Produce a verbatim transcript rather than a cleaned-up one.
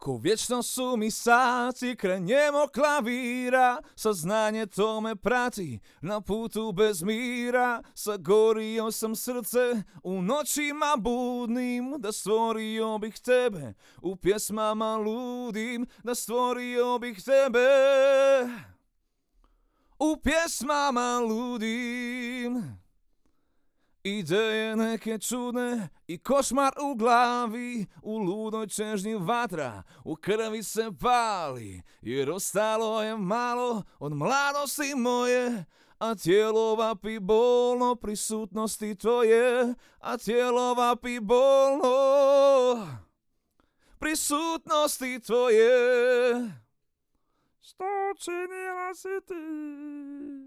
Ko vječno su mi sati kraj njemog klavira, saznanje to me prati na putu bez mira. Sagorio sam srce u noćima budnim, da stvorio bih tebe u pjesmama ludim, da stvorio bih tebe u pjesmama ludim. Ideje neke čudne i košmar u glavi, u ludoj čežnji vatra, u krvi se pali, jer ostalo je malo od mladosti moje, a tijelo vapi bolno prisutnosti tvoje, a tijelo vapi bolno prisutnosti tvoje. Što činila si ti?